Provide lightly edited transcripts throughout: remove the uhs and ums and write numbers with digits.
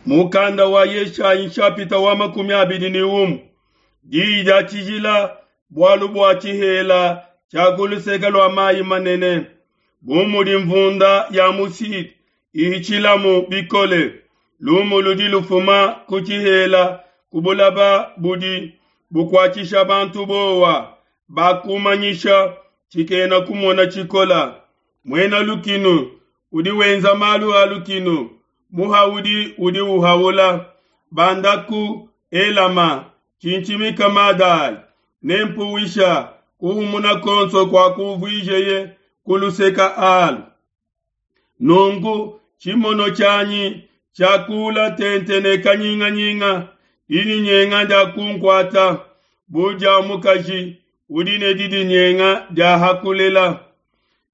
Mukanda wa Yeshayi nshapita wa 21. Diyi dia tshijila bualu bua tshihela tshia ku luseke lua mayi manene, bu mudi mvunda ya mu Sud ihitshilamu bikole, lumu ludi lufuma ku tshihela ku bulaba budi bukuatshisha bantu bowa, bakumanyisha tshikena kumona tshikola. Muena lukinu udi wenza malu a lukinu, muhaudi udi uhaula. Bandaku Elama, tshintshimika Madai, ne mpuwisha kuhumuna konso kua kuvuijeye ku luseka alu. Nunku tshimono tshianyi tshiakula tente ne kanyinganyinga, didinyenga dia kunkuata bu dia mukaji udi ne didinyenga dia hakulela.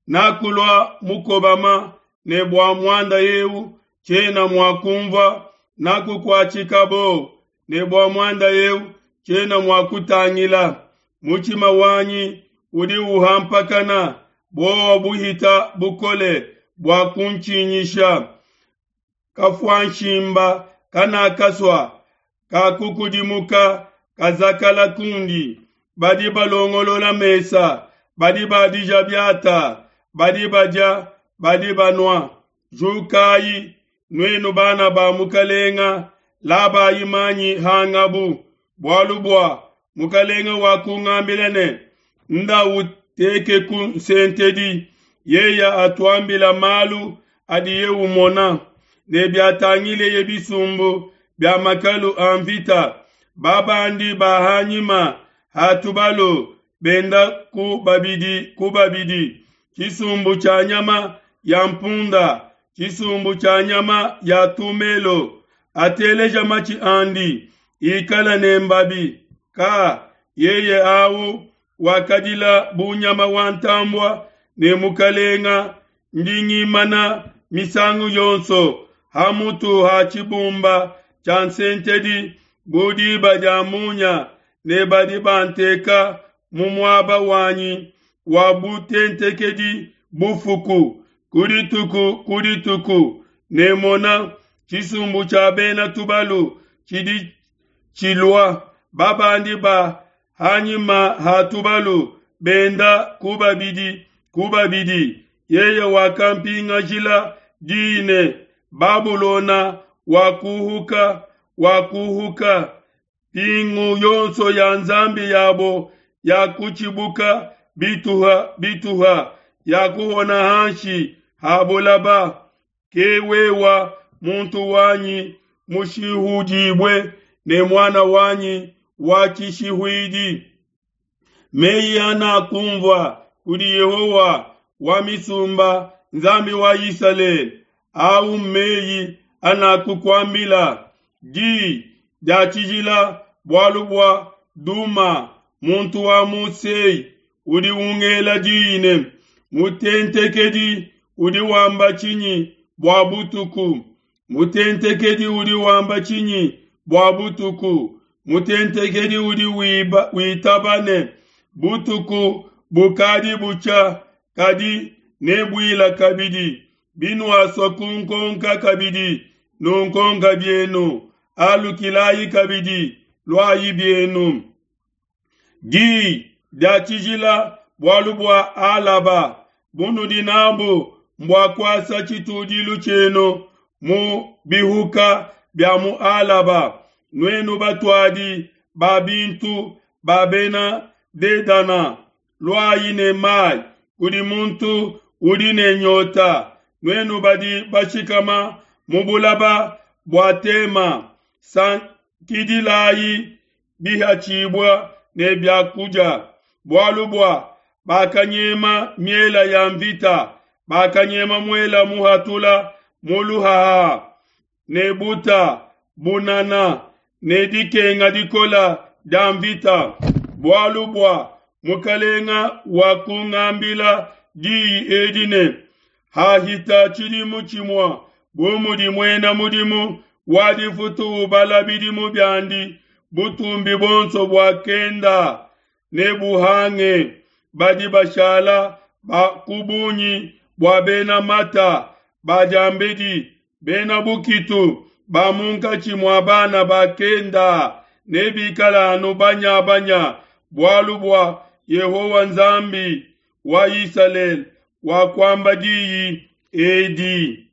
Nakulua mukobama ne bua muanda eu tshiena mua kumvua, nakukuatshika bo ne bua muanda eu tshiena mua kutangila. Mutshima wanyi udi uhampakana, buowa buhita bukole bua kuntshinyisha. Kafuanshimba kanakasua kakukudimuka kazakala kundi. Badi balongolola mesa, badi badija biata, badi badia, badi banua. Jukayi, nuenu bana ba mukalenga, labayi manyi hangabu, bualu bua mukalenga wakungambila ne, nda utekeku nsentedi, yeya atuambila malu adiye umona, ne biatangileye bisumbu bia makalu a mvita, babandi ba hanyima ha tubalu benda ku babidi ku babidi, tshisumbu tshia nyama ya mpunda, tshisumbu tshia nyama ya tumelo, ateleja matshi andi, ikala ne mbabi. Ka yeye au wakadila bu nyama wa ntambua ne mukalenga ndi ngimana misangu yonso ha mutu ha tshibumba tshia nsentedi bu diba dia munya, ne badi banteka mu muaba wanyi wa butentekedi bufuku ku dituku ku dituku, ne mona tshisumbu tshia bena tubalu tshidi tshilua, babandi ba hanyima ha tubalu benda ku babidi ku babidi. Yeye wakampingajila diyi ne, Babulona wakuhuka, wakuhuka, mpingu yonso ya nzambi yabo yakutshibuka bituha bituha, yakuhona hanshi ha bulaba. Ke wewa muntu wanyi mushihudibue ne muana wanyi wa tshishihuidi. Meyi anakumvua kudi Yehowa wa misumba, Nzambi wa Isalele, au mmeyi anakukuambila. Di dia tshijila bualu bua Duma, muntu wa mu Sei, udi ungela diyi ne, Mutentekedi udi wamba tshinyi bua butuku? Mutentekedi udi wamba tshinyi bua butuku? Mutentekedi udi wiba, witaba ne, butuku bukadi butshia, kadi nebuila kabidi. Binuasua kunkonka kabidi, nunkonka bienu, alukilayi kabidi, luayi bienu. Diyi dia tshijila bualu bua Alaba bunudi nabu mbua kuasa tshitudilu tshienu mu bihuka bia mu Alaba, nuenu batuadi ba bintu ba bena Dedana, luayi ne mai kudi muntu udi ne nyota, nuenu badi bashikama mu bulaba bua Tema, sankidilayi bihatshibua ne bia kudia, bualu bua bakanyema miela ya mvita, bakanyema muela muhatula mu luhaha, ne buta bunana ne dikenga dikola dia mvita, bualu bua mukalenga wakungambila diyi edi ne, hahita tshidimu tshimua bu mudi muena mudimu wa difutu ubala bidimu biandi, butumbi buonso buakenda ne buhange, badi bashala ba ku bungi bua bena mata ba diambedi, bena bukitu. ba munkatshi mua bana ba Kenda nebikale anu banya-banya, bualu bua Yehowa Nzambi wa Isalele wakuamba diyi edi.